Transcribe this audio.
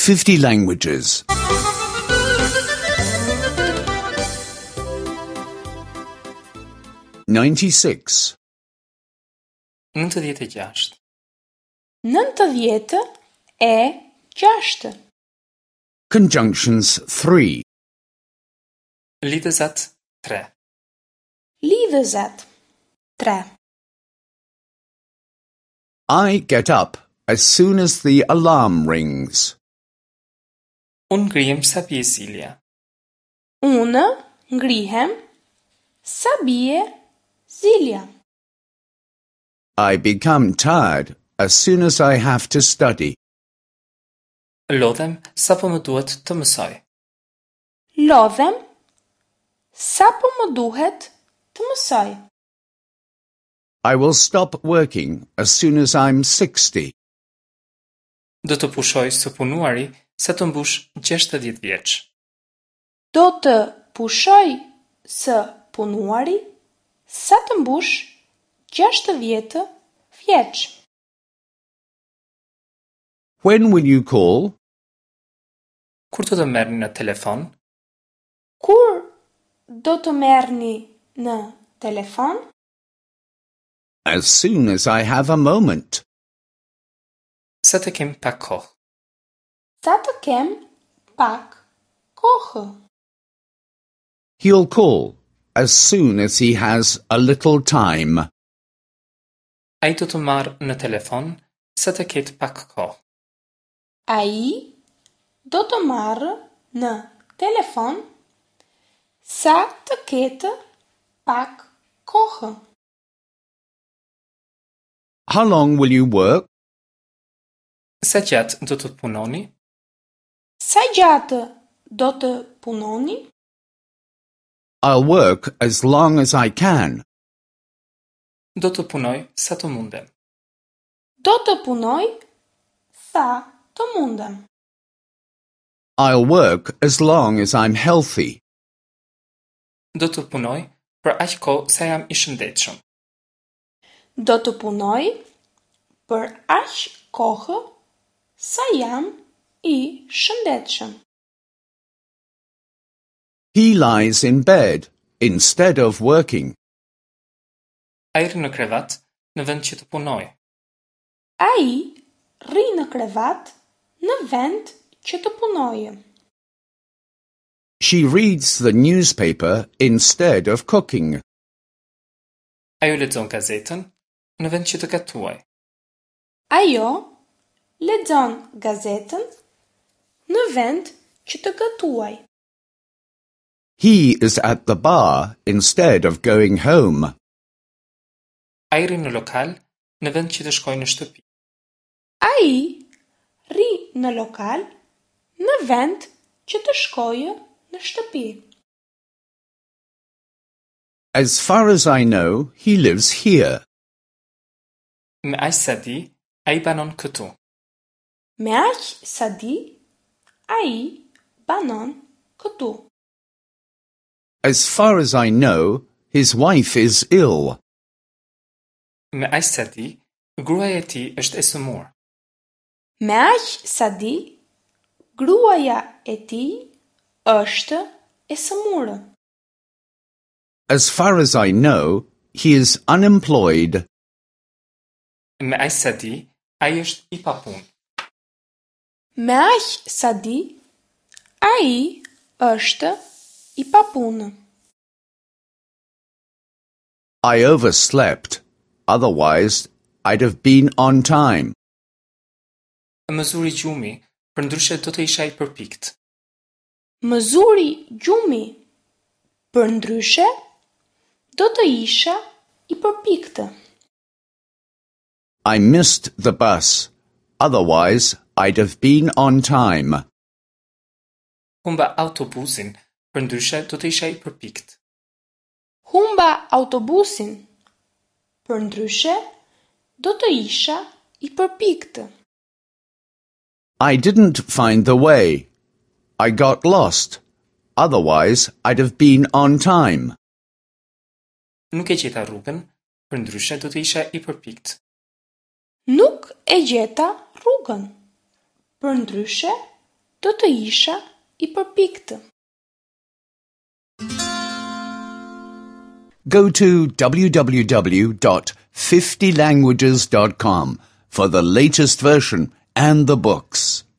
50 languages. 96. 96. 96. Conjunctions 3. Lidhëzat 3. Lidhëzat 3. I get up as soon as the alarm rings. Unë ngrihem sa bie zilja. Unë ngrihem sa bie zilja. I become tired as soon as I have to study. Lodhem sapo më duhet të mësoj. Lodhem sapo më duhet të mësoj. I will stop working as soon as I'm 60. Do të pushoj së punuari sa të mbush 60 vjeç. Do të pushoj së punuari sa të mbush 60 vjeç. When will you call? Kur do të merrni në telefon? Kur do të merrni në telefon? As soon as I have a moment. Sa të kem pak kohë. Sa të kem pak kohë. He'll call as soon as he has a little time. Ai do të marrë në telefon sa të ketë pak kohë. Ai do të marrë në telefon sa të ketë pak kohë. How long will you work? Sa gjatë do të punoni? Sa gjatë do të punoni? I'll work as long as I can. Do të punoj sa të mundem. Do të punoj sa të mundem. I'll work as long as I'm healthy. Do të punoj për aq kohë sa jam i shëndetshëm. Do të punoj për aq kohë sa jam i shëndetshëm. He lies in bed instead of working. Ai rri në krevat në vend që të punojë. Ai rri në krevat në vend që të punojë. She reads the newspaper instead of cooking. Ajo lexon gazetën në vend që të gatuajë. Ajo lexon gazetën në vend që të gatuajë. He is at the bar instead of going home. Ai rri në lokal në vend që të shkojë në shtëpi. Ai rri në lokal në vend që të shkojë në shtëpi. As far as I know, he lives here. Me aq sa di, ai banon këtu. Me aq sa di, ai banon këtu. As far as I know, his wife is ill. Me aq sa di, gruaja e tij është e sëmurë. Me aq sa di, gruaja e tij është e sëmurë. As far as I know, he is unemployed. Me aq sa di, ai është i papunë. Me aq sa di, ai është i papunë. I overslept. Otherwise, I'd have been on time. Më zuri gjumi, përndryshe do të isha i përpikt. Më zuri gjumi, përndryshe do të isha i përpiktë. I missed the bus. Otherwise, I'd have been on time. Humba autobusin, përndryshe do të isha i përpikt. Humba autobusin, përndryshe do të isha i përpiktë. I didn't find the way. I got lost. Otherwise, I'd have been on time. Nuk e gjeta rrugën, përndryshe do të isha i përpikt. Nuk e gjeta rrugën, përndryshe Do të isha i përpiktë. Go to www.50languages.com for the latest version and the books.